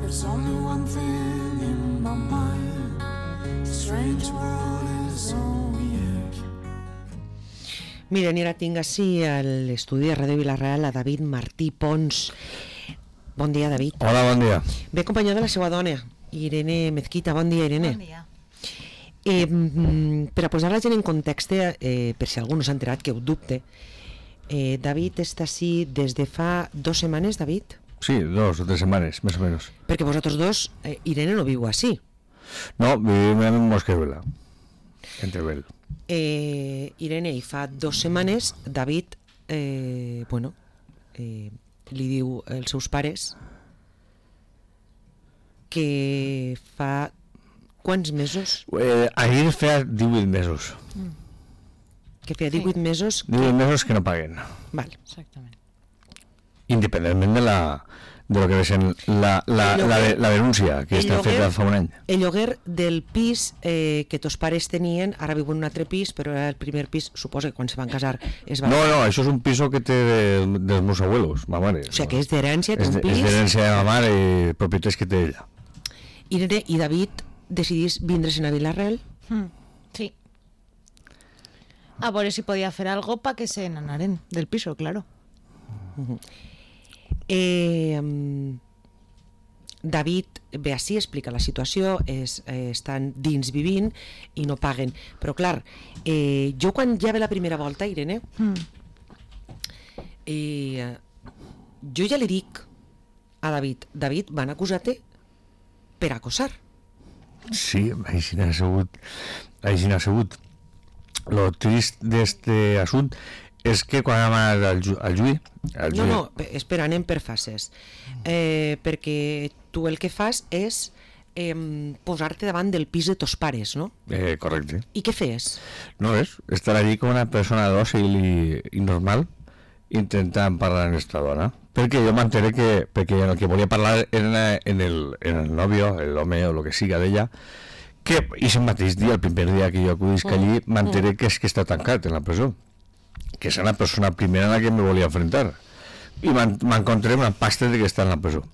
There's only one thing in my mind. The strange world is all weird. Miren, ara tinc així a l'estudi de Ràdio Vila-real a David Martí Pons. Bon dia, David. Hola, bon dia. Ve acompanyat de la seva dona, Irene Mezquita. Bon dia, Irene. Bon dia. Per a posar la gent en context, per si algú no s'ha enterat, que ho dubte, David està així des de fa 2 setmanes, David? Sí, 2 o 3 setmanes, més o menys. Perquè vosaltres dos, Irene no viu així. No, vivim en Mosqueruela, en Teruel. Irene, i fa 2 setmanes, David, li diu als seus pares que fa quants mesos? Ahir feia 18 mesos. Que feia 18 mesos 18 mesos que no paguen. Val. Exactament. Independentment de lo que és la denúncia que està feta fa un any. El lloguer del pis que tos pares tenien, ara viuen en un altre pis, però era el primer pis, suposo que quan se van casar es va... No, això és un piso que té dels meus abuelos, ma mare. O sigui que és d'herència, té un pis... És d'herència de ma mare i propietats que té ella. Irene i David decidís vindre-se'n a Vila-real? Sí. A veure si podia fer algo para que se n'anaren del piso, claro. David ve així, explica la situació, estan dins vivint i no paguen. Però clar, jo quan ja ve la primera volta, Irene, jo ja li dic a David, van acusar-te per acosar. Sí, així n'ha sigut. Lo trist d'este assunt és que quan hem anat al juí... No, espera, anem per fases. Perquè tu el que fas és posar-te davant del pis de tos pares, no? Correcte. I què fes? No res, estar allí com una persona dòcil i normal intentant parlar amb esta dona. Perquè jo m'enteré perquè el que volia parlar era en el nòvio, l'home o el que siga d'ella, que aquest mateix dia, el primer dia que jo acudisc allí, m'enteré que és que està tancat en la presó, que és una persona primera en la que me volia enfrentar, i m'encontré una pasta de que està en la presó.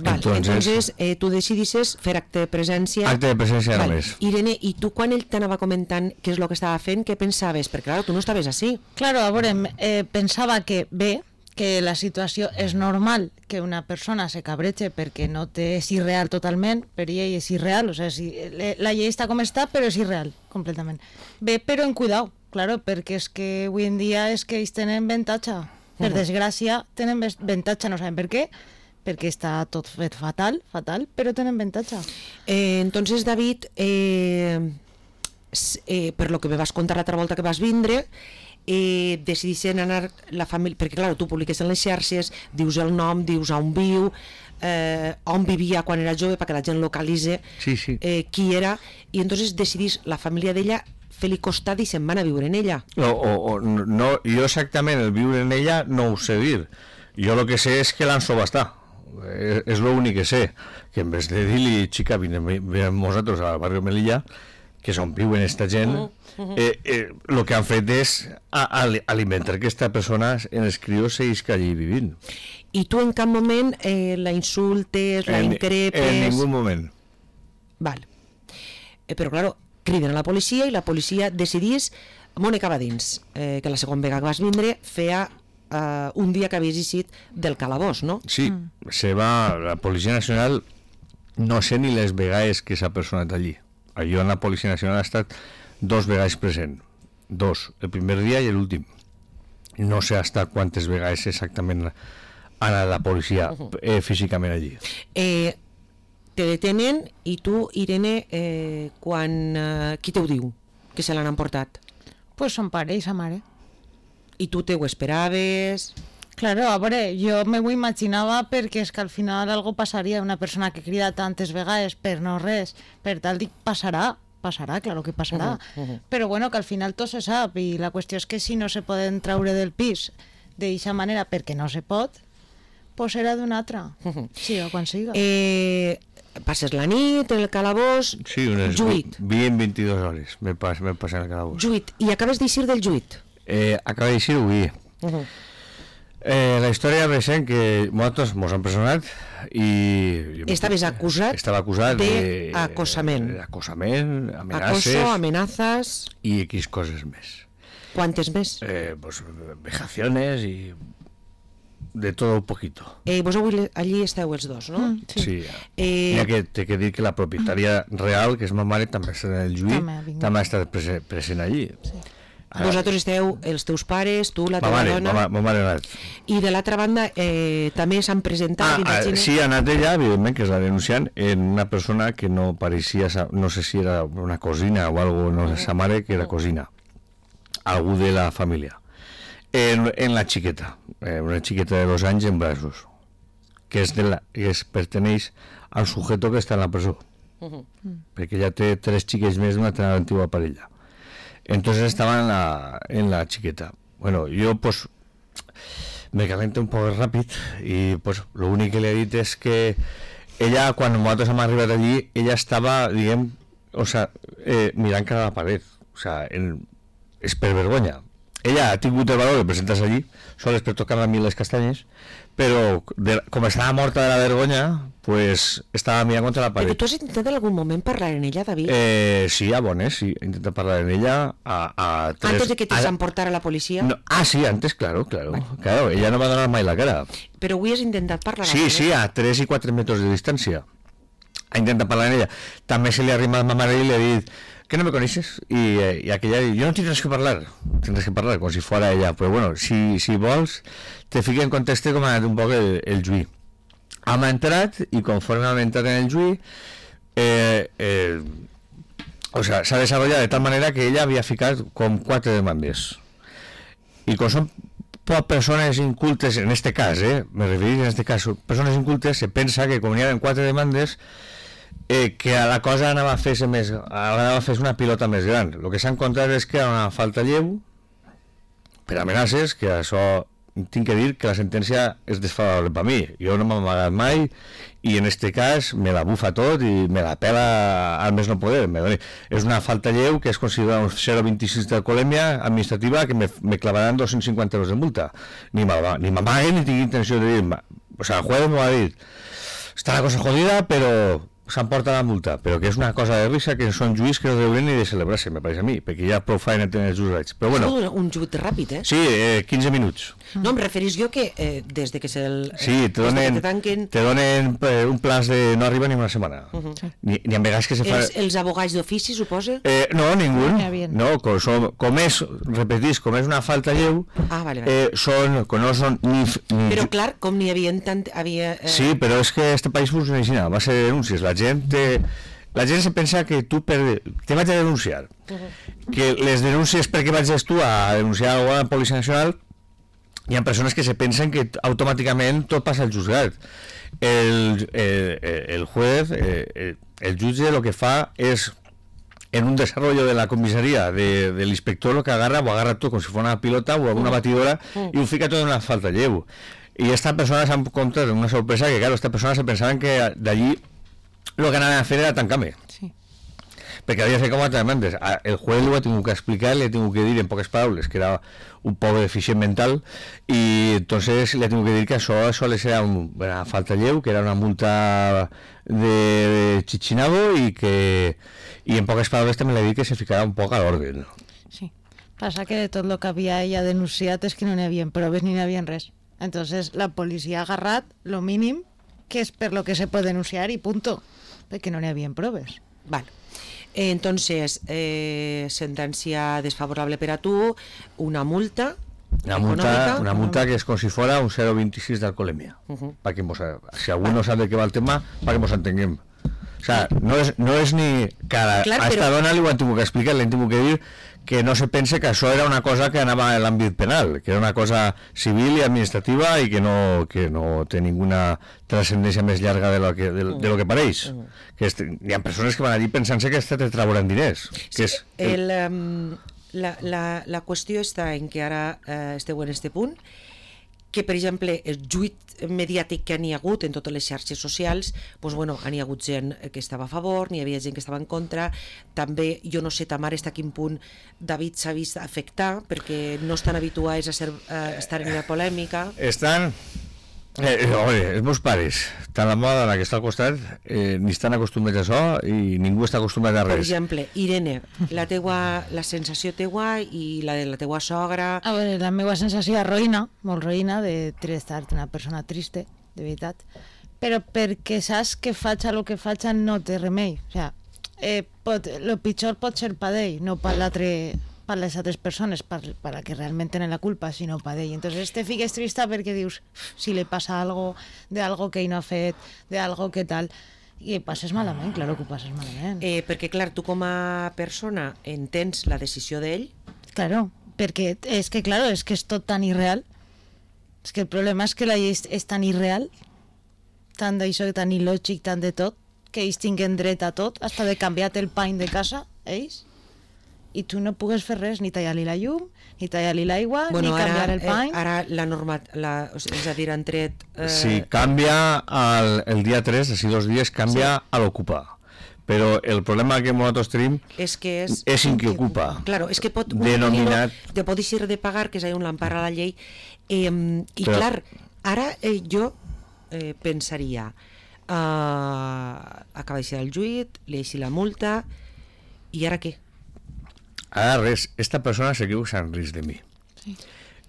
Entonces tu decidisses fer acte de presència. Acte de presència només. Irene, i tu quan ell t'anava comentant què és el que estava fent, què pensaves? Perquè clar, tu no estaves així. Claro, a veure, pensava que que la situació és normal que una persona se cabreche perquè no té, és irreal totalment, per ell és irreal, o sigui, la llei està com està, però és irreal, completament. Bé, però en cuidao, claro, perquè és que avui en dia és que ells tenen avantatge. Per desgràcia, tenen avantatge, no sabem per què, perquè està tot fet fatal, però tenen avantatge. Entonces, David, per lo que me vas contar l'altra volta que vas vindre, decidissin anar la família, perquè clar, tu publiques en les xarxes, dius el nom, dius on viu, on vivia quan era jove perquè la gent localitze qui era, i entonces decidís la família d'ella fer-li costat i se'n van a viure en ella. No, jo exactament el viure en ella no ho sé dir, jo el que sé és que l'han subhastat, és l'únic que sé, que en vez de dir-li xica, vinem nosaltres al barri Melilla, que és on viuen esta gent, el que han fet és alimentar aquesta persona en els crios seguís que allí vivint. I tu en cap moment la insultes, la increpes? En ningú moment. Val. Però claro, criden a la policia i la policia decidís Mònica va dins, que la segona vegada que vas vindre feia un dia que havies eixit del calabós, no? Sí, la Policia Nacional no sé ni les vegades que s'ha personat allí. Jo en la Policia Nacional ha estat 2 vegades present, 2, el primer dia i l'últim. No sé hasta quantes vegades exactament ha anat la policia físicament allí. Te detenen i tu, Irene, qui te ho diu que se l'han emportat? Pues son pare i sa mare. I tu te ho esperaves? Claro, a veure, jo me ho imaginava perquè és que al final algo passaria, una persona que crida tantes vegades per no res, per tal dic, passarà, claro que passarà, però bueno, que al final tot se sap i la qüestió és que si no se poden traure del pis d'aquesta manera perquè no se pot, pues serà d'una altra, sí, o quan siga. Passes la nit en el calabós, sí, juit. 22 hores me passen en el calabós. Juit, i acabes d'eixir del juit? Acaba d'eixir avui. La història ve sent que nosaltres mos han presonat i... Estaves acusat Estava acusat d'acosament. D'acosament, amenaces... Acoso, amenazas... I X coses més. ¿Cuántas més? Pues vejaciones y de todo un poquito. Vos avui allí esteu els dos, no? Sí. N'hi ha que té que dir que la propietària real, que és ma mare, també està en el juí, també ha estat present allí. Sí. Vosaltres esteu, els teus pares, tu, la teva dona... Ma mare ha anat. I de l'altra banda, també s'han presentat... Sí, ha anat ella, evidentment, que és la denunciant, en una persona que no pareixia, no sé si era una cosina o algo, no sé, sa mare, que era cosina. Algú de la família. En la xiqueta, una xiqueta de 2 anys en braços, que perteneix al sujeto que està en la presó. Perquè ja té 3 xiquets més d'una tan antigua parella. Entonces estaba en la chiqueta. Bueno, yo pues me calenté un poco rápido y pues lo único que le he dicho es que ella, cuando nosotros hemos arribado allí, ella estaba, digamos, o sea, mirant cara a la pared. O sea, és per vergonya. Ella ha tingut el valor de presentar-se allí, sols per tocar a mi les castanyes, però com estava morta de la vergonya, pues estava mirant contra la paret. Però tu has intentat en algun moment parlar en ella, David? Sí, a Bones, sí, he intentat parlar en ella a 3... Antes de que te s'emportara la policia? No, sí, antes, claro. Bueno. Claro, ella no va donar mai la cara. Però avui has intentat parlar amb ella? Sí, a 3 i 4 metres de distància. Ha intentat parlar en ella. També se li ha arrimat a ma mare i li ha dit que no me conoces, y aquella yo no tienes que hablar, como si fuera ella, pero bueno, si vols te fico en contexto com ha anat un poc el juí. Hem entrat i conforme hem entrat en el juí o sea, s'ha desarrollat de tal manera que ella havia ficat com 4 demandes i com són persones incultes en este cas, me referís en este cas, persones incultes, se pensa que com hi ha 4 demandes que a la cosa anava a fer-se una pilota més gran. El que s'ha encontrat és que hi ha una falta lleu per amenaces, que això tinc que dir que la sentència és desfavorable per mi. Jo no m'he amagat mai i en este cas me la bufa tot i me la pela al més no poder. És una falta lleu que és considerada un 0,26 d'alcoholèmia administrativa que me clavaran 250 euros de multa. Ni m'amaguen ni tinc intenció de dir. O sea, el juez m'ho ha dit. Està la cosa jodida, però s'emporta la multa, però que és una cosa de risa, que són juís que no deurien ni de celebrar-se, me pareix a mi, perquè ja prou feina tenen els jurats. Però bueno, un juit ràpid, Sí, 15 minuts. No, em referís jo que des de que Sí, te donen un plaç de no arriba ni una setmana. Ni en vegades que se fa... Els abogats d'ofici, suposa? No, ningú. No, com és una falta lleu, són, que no són ni... Però clar, com n'hi havia tant... Sí, però és que este país funciona així, va ser denúncies, la gent se pensa que tu te vaig a denunciar, que les denúncies perquè vaig tu a denunciar a la Policia Nacional, hi ha persones que se pensen que automàticament tot passa al juzgat. El juez, el jutge, lo que fa és, en un desarrollo de la comisaría del inspector, lo que agarra tot com si fos una pilota o una batidora i ho fica tot en una falta lleu. I esta persona s'ha encontrat una sorpresa que, claro, esta persona se pensaven que d'allí lo que anaven a fer era tancar-me. Sí. Perquè havia fet com altres demandes. El juez ho ha tingut que explicar, le ha tingut que dir en poques paraules que era un poc deficient mental i entonces le ha tingut que dir que això sols era una falta lleu, que era una multa de chichinabo i en poques paraules també le ha dit que se ficara un poc a l'ordre. Sí. Passa que de tot el que havia ella denunciat és que no n'hi havia proves ni n'hi havia res. Entonces la policia ha agarrat lo mínim que es per lo que se puede denunciar y punto, perquè no n'hi havia proves. Vale. Entonces, sentencia desfavorable per a tu, una multa una multa que és com si fos un 0,26 d'alcoholèmia. Si algú no sap de què va el tema, perquè ens entenguem. O sea, no és ni que a esta dona li ho han tingut que explicar, li han tingut que dir que no se pense que això era una cosa que anava a l'àmbit penal, que era una cosa civil i administrativa i que no té ninguna transcendència més llarga de lo que pareix. Que hi ha persones que van allí pensant-se que te trauran diners. Que és la qüestió està en que ara esteu en este punt que, per exemple, el lluit mediàtic que n'hi ha hagut en totes les xarxes socials, doncs, bueno, n'hi ha hagut gent que estava a favor, n'hi havia gent que estava en contra. També, jo no sé, ta mare, a quin punt David s'ha vist afectar, perquè no estan habituats a estar en la polèmica. Estan... els meus pares, tant la meva dona que està al costat, ni estan acostumats a això i ningú està acostumat a Per res. exemple, Irene, la sensació teua i la de la teua sogra... A veure, la meva sensació és roïna, molt roïna, de estar una persona triste, de veritat. Però perquè saps que faig el que faig no té remei. O sigui, lo pitjor pot ser per ell, no per les altres persones, per la que realment tenen la culpa, sinó per ell. Entonces te fiques trista perquè dius, si li passa algo, de algo que ell no ha fet, de algo que tal, i passes malament, claro que ho passes malament. Perquè, clar, tu com a persona entens la decisió d'ell. Claro, perquè és que, claro, és que és tot tan irreal. És que el problema és que la llei és tan irreal, tant d'això, tan il·lògic, tant de tot, que ells tinguen dret a tot, hasta de canviar-te el pany de casa, ells, i tu no pugues fer res, ni tallar-li la llum, ni tallar-li l'aigua, ni canviar el pany. Ara la norma, és a dir, han tret... Sí, canvia el dia 3, així 2 dies, canvia a l'ocupar. Però el problema que nosaltres tenim és que és en qui ocupa. Claro, és que pot denominat... te pot deixar de pagar, que és un l'empara la llei, i però... clar, ara jo pensaria, acaba de ser el juit, li deixi la multa, i ara què? Ara res, esta persona se creu en risc de mi. Sí.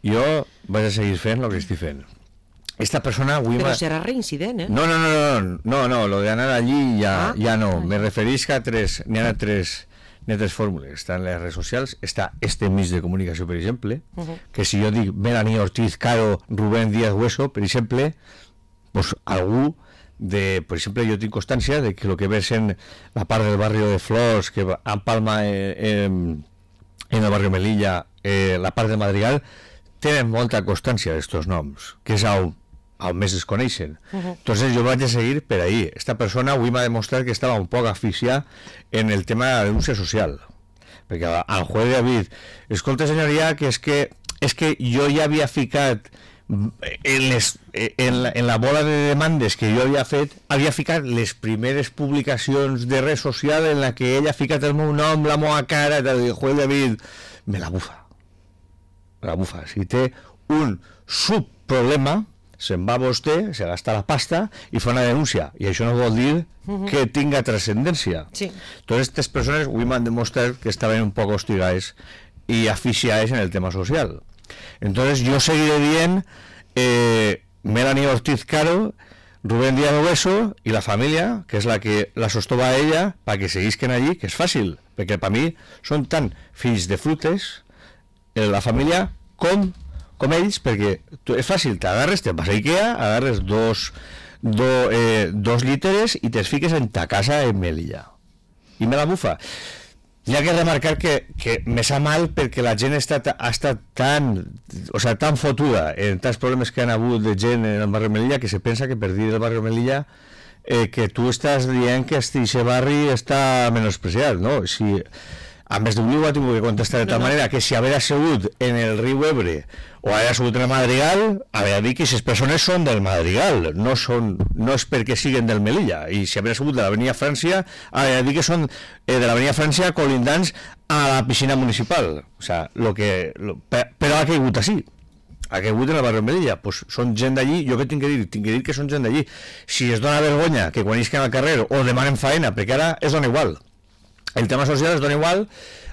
Jo vaig a seguir fent el que estic fent. Esta persona... Però serà reincident, No, lo de anar allí ja no. Me referís que n'hi ha tres fórmules. Estan les redes socials, està este mig de comunicació, per exemple, que si jo dic Melanie Ortiz Caro, Rubén Díaz Hueso, per exemple, pues algú per exemple, jo tinc constància de que el que ves en la part del barri de Flors, que empalma en el barri Melilla, la part de Madrigal, tenen molta constància d'estos noms, que és on més es coneixen. Entonces jo vaig a seguir per ahí. Esta persona avui m'ha demostrat que estava un poc aficionada en el tema de la denúncia social, perquè al juez David, escolta senyoria, que és que jo ja havia ficat en la bola de demandes que jo havia fet, havia ficat les primeres publicacions de red social en la que ella ha ficat el meu nom, la meva cara, el juez David, me la bufa. Si té un subproblema, se'n va a vostè, se gasta la pasta i fa una denúncia, i això no vol dir que tinga trascendència. Sí. Totes aquestes persones avui m'han demostrat que estaven un poc hostigades i aficionades en el tema social. Entonces yo seguiré bien Melanie Ortiz Caro, Rubén Díaz Hueso y la familia, que es la que la sostova a ella, para que seguisquen allí, que és fàcil, perquè per mi són tan fills de frutes la família com ells, perquè és fàcil, t'agarres, te'n vas a Ikea, agarres dos lliteres i te'ls fiques en ta casa en Melilla. I me la bufa. Hi ha que remarcar que me sap mal perquè la gent ha estat tan fotuda en tants problemes que han hagut de gent en el barri Melilla que se pensa que per dir el barri Melilla que tu estàs dient que aquest barri està menospreciat, no? Si, a més d'Oliu ha tingut que contestar de tal manera que si haver assegut en el riu Ebre o haver assegut en el Madrigal, haver dit que aquestes persones són del Madrigal, no és perquè siguen del Melilla, i si haver assegut de l'Avenida Frància, haver dit que són de l'Avenida Frància colindants a la piscina municipal. O sea, però ha caigut així. Ha caigut en el barri Melilla, pues són gent d'allí. Jo què tinc que dir? Tinc que dir que són gent d'allí. Si es dona vergonya que quan isquen al carrer o demanen faena, perquè ara es dona igual. El tema social es dona igual,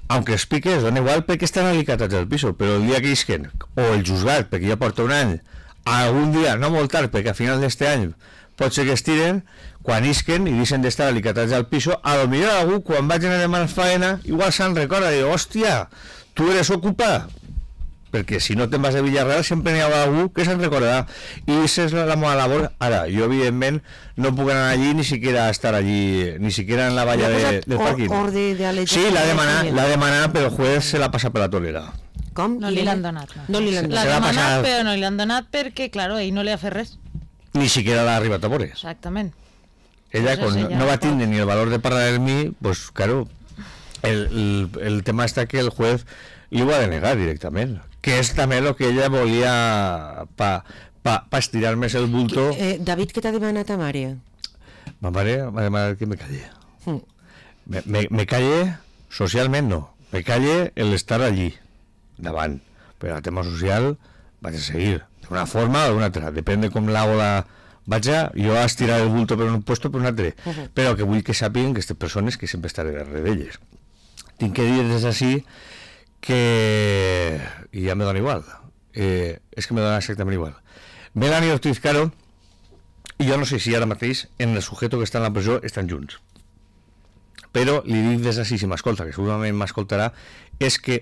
aunque es pique, es dona igual perquè estan alicatats al piso, però el dia que isquen, o el juzgat, perquè ja porta un any, algun dia, no molt tard, perquè a final d'este any pot ser que estiren, quan isquen i deixen d'estar alicatats al piso, a lo millor algú, quan vagin a demanar faena, igual se'n recorda, i diu, hòstia, tu eres ocupa, perquè si no te'n vas a Villarreal sempre n'hi ha algú que se'n recordarà, i aquesta és la meva labor. Ara, jo evidentment no puc anar allí ni siquiera estar allí, ni siquiera en la valla del parking. Sí, l'ha demanat, però el juez se l'ha passat per la tolera. Com? No li l'han donat. No li l'han L'ha demanat, però no li l'han donat perquè, claro, ell no li ha fet res. Ni siquiera l'ha arribat a veure. Exactament. Ella, quan no va tindre ni el valor de parlar amb mi, pues claro, el tema està que el juez li ho ha de negar directament, que és també el que ella volia pa estirar més el bulto. David, què t'ha demanat a mare? Ma mare m'ha demanat que me calle. Mm. Me calle socialment no, me calle el estar allí davant, però el tema social vaig a seguir d'una forma o d'una altra, depèn de com l'hago vaig a estirar el bulto per un puesto per un altre, però que vull que sàpiguen que aquestes persones que sempre estaré darrere d'elles. Tinc que dir des d'ací que i ja me dona igual, és que me dona exactament igual. Melanie Ortiz Caro i jo no sé si ara mateix en el sujeto que està en la presó estan junts, però li dic des d'ací, si m'escolta, que segurament m'escoltarà, és que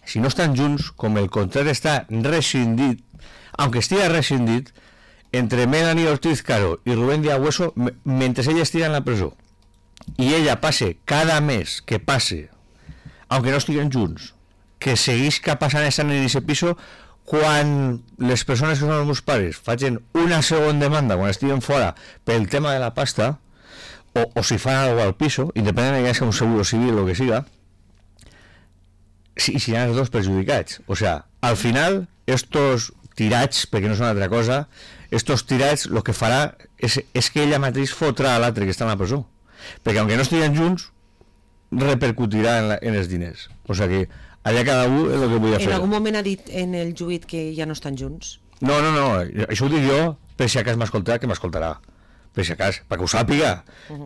si no estan junts, com el contracte està rescindit, aunque estigui rescindit, entre Melanie Ortiz Caro i Rubén Díaz Hueso, mentre ella estigui en la presó i ella passe cada mes que passe, aunque no estiguen junts, que seguisca passant estant en aquest piso, quan les persones que són els meus pares facin una segona demanda quan estiguen fora pel tema de la pasta, o si fan algo al piso, independentment de que sigui un seguro civil o que siga, si seran els dos perjudicats. O sea, al final, estos tirats, perquè no són altra cosa, estos tirats, el que farà és que ella mateix fotrà a l'altre que està en la presó. Perquè, aunque no estiguen junts, repercutirà en els diners. O sea que allà cada un és el que vull fer. En algun moment ha dit en el juit que ja no estan junts? No, això ho dic jo, per si a cas m'escoltarà, que m'escoltarà. Per si a cas, perquè ho sàpiga,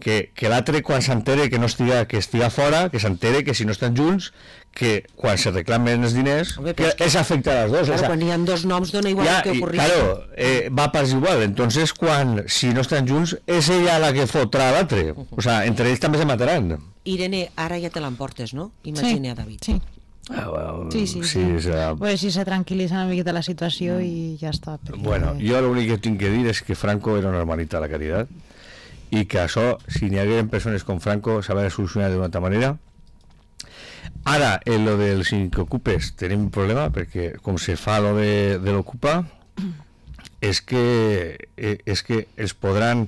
que l'altre quan s'entere que no estiga fora, que s'entere que si no estan junts, que quan se reclamen els diners, home, que és afectar a les dos. Claro, quan hi ha dos noms dona igual que ocorri. Claro, va pas igual. Entonces, si no estan junts, és ella la que fotrà a l'altre. O sea, entre ells també se mataran. Irene, ara ja te l'emportes, no? Imagina, David. Sí. Well, sí. Serà... Pues si se tranquil·litza una miqueta la situació i ja està. Perquè... Bueno, jo l'únic que tinc que dir és que Franco era una hermanita de la caridad i que això, si n'hi hagueren persones com Franco, s'havia de solucionar d'una altra manera. Ara, en lo dels ocupes tenim un problema, perquè com se fa lo de l'ocupa, és que els podran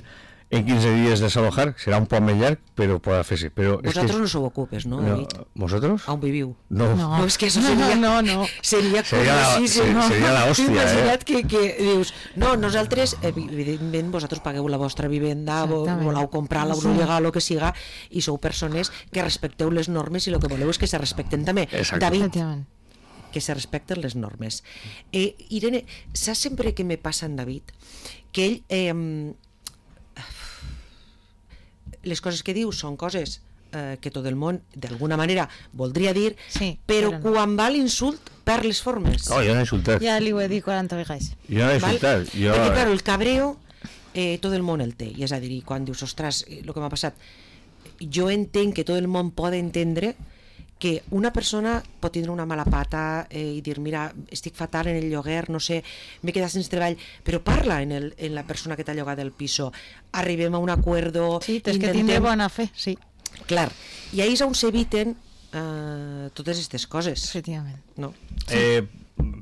en 15 dies desalojar, serà un poc més llarg, però podrà fer-se. Vosaltres no sou ocupes, no, David? ¿Vosotros? On viviu? No. No, és que això seria... No. Seria curiosíssim. Seria la hòstia, Imagina't que dius, no, nosaltres, evidentment, vosaltres pagueu la vostra vivenda, voleu comprar-la, voleu legal o que siga, i sou persones que respecteu les normes i el que voleu és que se respecten també. Exacte. David, que se respecten les normes. Irene, saps sempre que me passa en David? Que ell... les coses que diu són coses que tot el món d'alguna manera voldria dir, sí, però no. Quan va l'insult per les formes. No, jo no he insultat. Ja li ho he dit 40 vegades. Jo no he insultat. Perquè, claro, el cabreo tot el món el té, i és a dir, quan dius, ostres, el que m'ha passat, jo entenc que tot el món pot entendre que una persona pot tindre una mala pata i dir, mira, estic fatal en el lloguer, no sé, m'he quedat sense treball, però parla en la persona que t'ha llogat el piso, arribem a un acuerdo... Sí, tens que tindre bona fe, sí. Clar, i ahí és on s'eviten totes aquestes coses. Efectivament. No? Sí.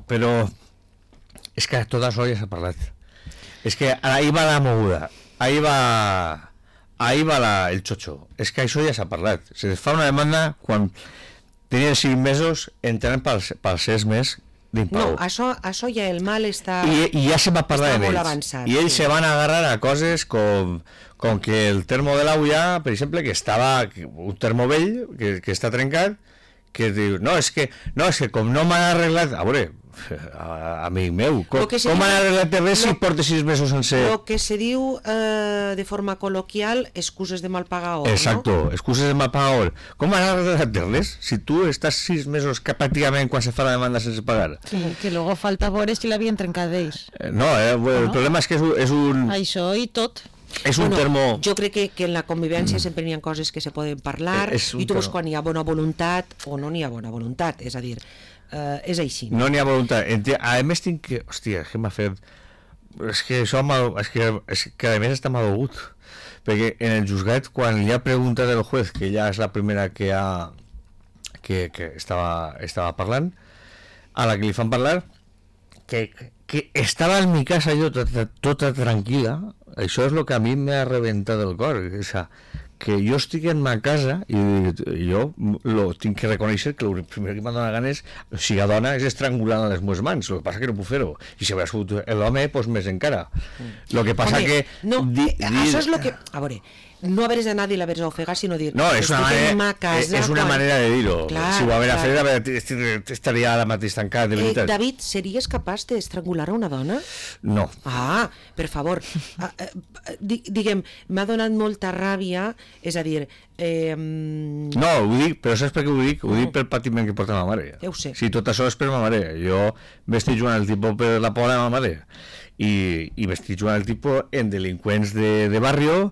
Però és que tot això ja s'ha parlat. És que ahí va la moguda, ahí va el xocho. És que això ja s'ha parlat. Se fa una demanda quan tenien 5 mesos entrant pels 6 mesos d'impau. No, això ja el mal està... I ja se va parlar molt d'ells. avançat. I ells se van agarrar a coses com que el termo de l'aulla, per exemple, que estava un termo vell, que està trencat, que diu, no, és que com no m'han arreglat... A veure, amic meu, com han arreglat res si porta 6 mesos sense... El que se diu de forma col·loquial, excuses de mal pagador. Exacto, no? excuses de mal pagador. Com han arreglat res si tu estàs 6 mesos que pràcticament quan se fa la demanda sense pagar? Sí, que luego falta veure si l'havien trencat d'ells. No, el problema és que és un... Això i tot. És un termo... Jo crec que en la convivència sempre n'hi ha coses que se poden parlar i tu veus quan hi ha bona voluntat o no n'hi ha bona voluntat, és a dir, és així. No n'hi ha voluntat. A més tinc que... Hòstia, què m'ha fet... És que això és que a més està malaugut. Perquè en el juzgat, quan li ha preguntat el juez, que ja és la primera que estava parlant, a la que li fan parlar, que estava en mi casa jo tota tranquil·la. Això és el que a mi m'ha reventat el cor, que jo estic en ma casa i jo tinc que reconèixer que el primer que m'ha donat ganes, si la dona, és estrangular les meves mans, el que passa que no puc fer-ho, i si hagués sigut l'home, doncs més encara. El que passa Home, que... no, això és el que... A veure, no haveres anat i l'haveres ofegat, sinó dir... No, és una manera de dir-ho. Si ho haguera fet, estaria ara mateix tancat, de veritat. David, series capaç d'estrangular a una dona? No. Ah, per favor. Diguem, m'ha donat molta ràbia, és a dir... No, ho dic, però saps per què ho dic? Ho dic pel patiment que porta ma mare. Ja ho sé. Sí, tot això és per ma mare. Jo m'estic jugant el tipus per la por de ma mare. I m'estic jugant el tipus en delinqüents de barrio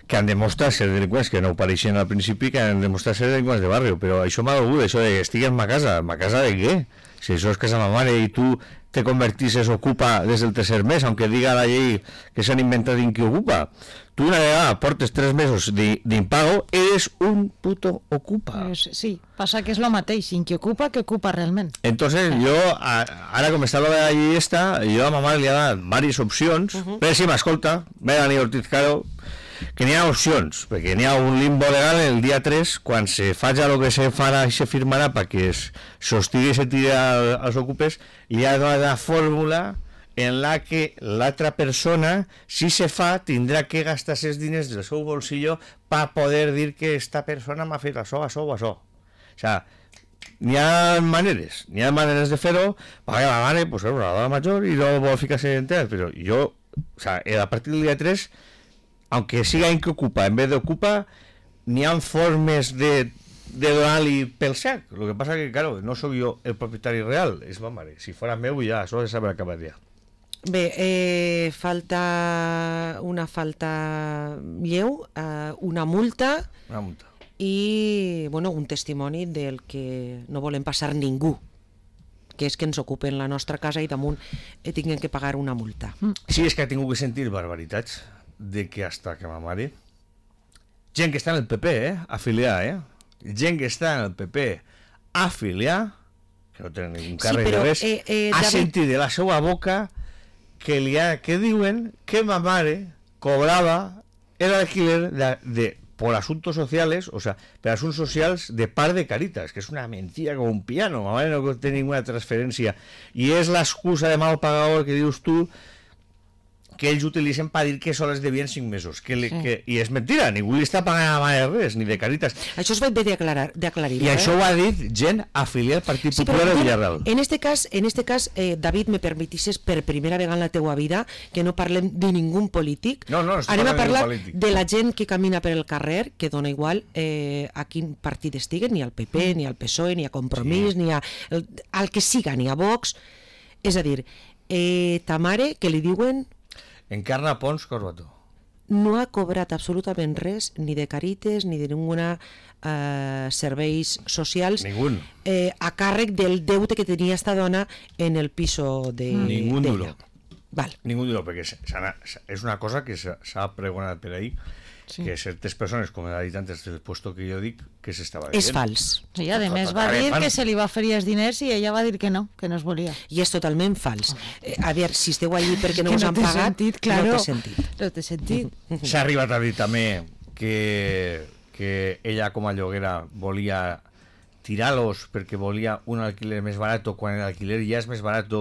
que han demostrat ser delinqüents, que no ho pareixien al principi, que han demostrat ser delinqüents de barrio, però això m'ha dolgut, això de que estic en ma casa de què? Si això és casa de ma mare i tu te convertisses ocupa des del tercer mes, aunque diga la llei que s'han inventat en qui ocupa. Tu una vegada portes 3 mesos d'impago, eres un puto ocupa. Sí, passa que és lo mateix, sin que ocupa realment. Entonces jo, ara com està la llei esta, jo a ma mare li ha dat diverses opcions, però si m'escolta, Melanie Ortiz Caro, que n'hi ha opcions, perquè n'hi ha un limbo legal el dia 3, quan se faci el que se farà i se firmarà perquè es sostigui i se tiri als ocupes, li ha donat la fórmula en la que l'altra persona, si se fa, tindrà que gastar els diners del seu bolsillo per poder dir que esta persona m'ha fet això. O sea, n'hi ha maneres de fer-ho, perquè la mare, pues, és una dona major i no vol ficar-se en temes, però jo, o sea, a partir del dia 3, aunque siga en que ocupa, en vez de ocupa, n'hi ha formes de donar-li pel sac. Lo que pasa que, claro, no soy yo el propietari real, és ma mare. Si fora meu, ja, això ja s'haurà acabat ja. Bé, falta una falta lleu, una multa i, bueno, un testimoni del que no volem passar ningú, que és que ens ocupen la nostra casa i damunt tinguem que pagar una multa. Sí, és que he tingut que sentir barbaritats de que hasta que ma mare, gent que està en el PP, afiliar, gent que està en el PP afiliar, que no tenen ningú càrrec de res, ha sentit de la seva boca que diuen que ma mare cobrava el alquiler por asuntos sociales, o sea, per asuntos socials de part de Caritas, que és una mentira com un piano. Ma mare no té ninguna transferència i és l'excusa de mal pagador que dius tu que ells utilitzen per dir que sols devien 5 mesos. I és mentira, ningú li està pagant a la mare res, ni de Caritas. Això es va bé d'aclarir. I això ho ha dit gent afiliada al Partit Popular de Villarreal. En este cas, David, me permetisses per primera vegada en la teua vida que no parlem de ningú polític. No, anem a parlar de la gent que camina per el carrer, que dona igual a quin partit estiguen, ni al PP, ni al PSOE, ni a Compromís, ni al que siga, ni a Vox. És a dir, ta mare, que li diuen... Encarna Pons Corbató. No ha cobrat absolutament res, ni de Caritas, ni de ninguna serveis socials, a càrrec del deute que tenia esta dona en el piso de... Ningú duro. Val. Ningú duro, perquè és una cosa que s'ha pregonat per ahí, que certes persones, com ha dit antes del puesto que jo dic, que s'estava dient. És fals. Sí, a més va dir que se li va oferir els diners i ella va dir que no es volia. I és totalment fals. A veure, si esteu allí perquè no us han pagat, no té sentit. S'ha arribat a dir també que ella com a lloguera volia tirar-los perquè volia un alquiler més barat quan l'alquiler ja és més barat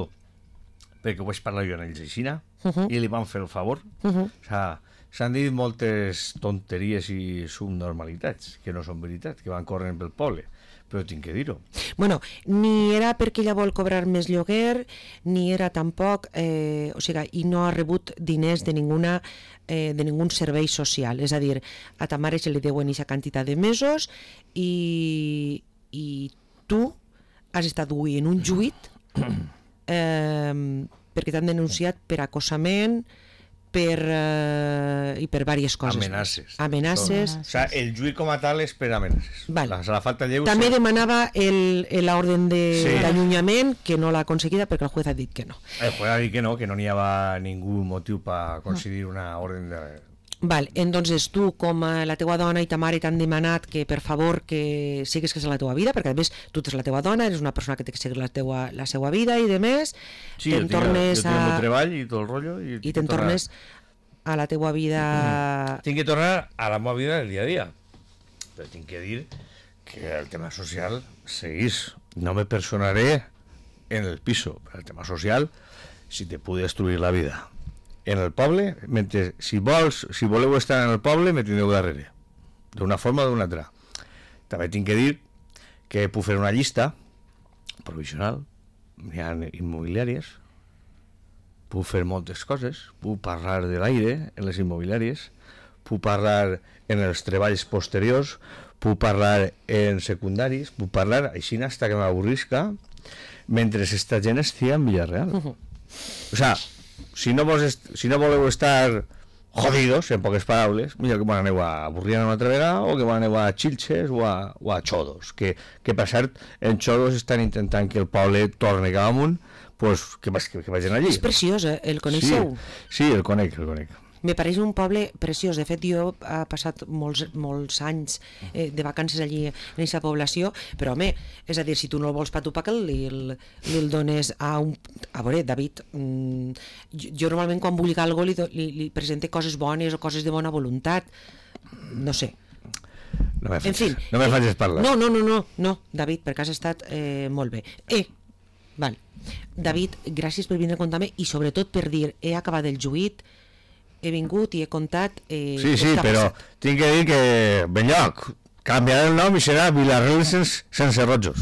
perquè ho vaig parlar jo en ells aixina i li van fer el favor. O sigui, s'han dit moltes tonteries i subnormalitats que no són veritat, que van corrent pel poble, però tinc que dir-ho. Bueno, ni era perquè ella vol cobrar més lloguer, ni era tampoc, o sigui, i no ha rebut diners de ningun servei social. És a dir, a ta mare se li deuen aquesta quantitat de mesos i tu has estat avui en un juit perquè t'han denunciat per acossament i per diverses coses. Amenaces. O sigui, el juit com a tal és per amenaces. La falta lleu... També demanava l'ordre d'allunyament, que no l'ha aconseguida perquè el juez ha dit que no. El juez ha dit que no hi havia ningú motiu per aconseguir una ordre de... Val, entonces tu com la teua dona i ta mare t'han demanat que per favor que sigues que és la teua vida, perquè a més tu ets la teua dona, eres una persona que té que seguir la seva vida i de més, sí, jo tinc el treball i tot el rotllo i te'n tornes a la teua vida... Tinc que tornar a la meva vida del dia a dia. Però tinc que dir que el tema social seguís. No me personaré en el piso. El tema social, si te pude destruir la vida. En el poble, mentre, si voleu estar en el poble, me tindreu darrere. D'una forma o d'una altra. També tinc que dir que puc fer una llista provisional. Hi ha immobiliàries. Puc fer moltes coses. Puc parlar de l'aire en les immobiliàries. Puc parlar en els treballs posteriors. Puc parlar en secundaris. Puc parlar així hasta que m'avorrisca mentre esta gent estigui en Villarreal. O sea, si no voleu estar jodidos, en poques paraules, millor que aneu a Burriana una altra vegada o que aneu a Xilxes o a Xodos, que per cert en Xodos estan intentant que el poble torni cap amunt, pues, que vagin allí. És preciós, el coneixeu? Sí, el conec. Me pareix un poble preciós. De fet, jo he passat molts anys de vacances allí en aquesta població, però, home, és a dir, si tu no el vols per tu, que li dones a un... A veure, David, jo normalment quan vull alguna cosa li presente coses bones o coses de bona voluntat. No sé. No me facis parlar. No, David, perquè has estat molt bé. Val. David, gràcies per vindre a contar-me i sobretot per dir, he acabat el juït, he vingut i he contat... Sí, però tinc que dir que, ben lloc, canviarà el nom i serà Villarreal sense rojos.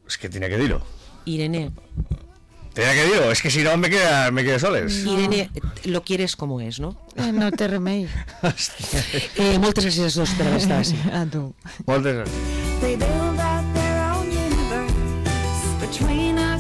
És que tenia que dir-ho. Irene. Tenia que dir-ho, és que si no me quedo soles. Irene, lo quieres como es, ¿no? No té remei. Moltes gràcies a tots per haver estat així. A tu. Moltes gràcies. They build out their own universe between our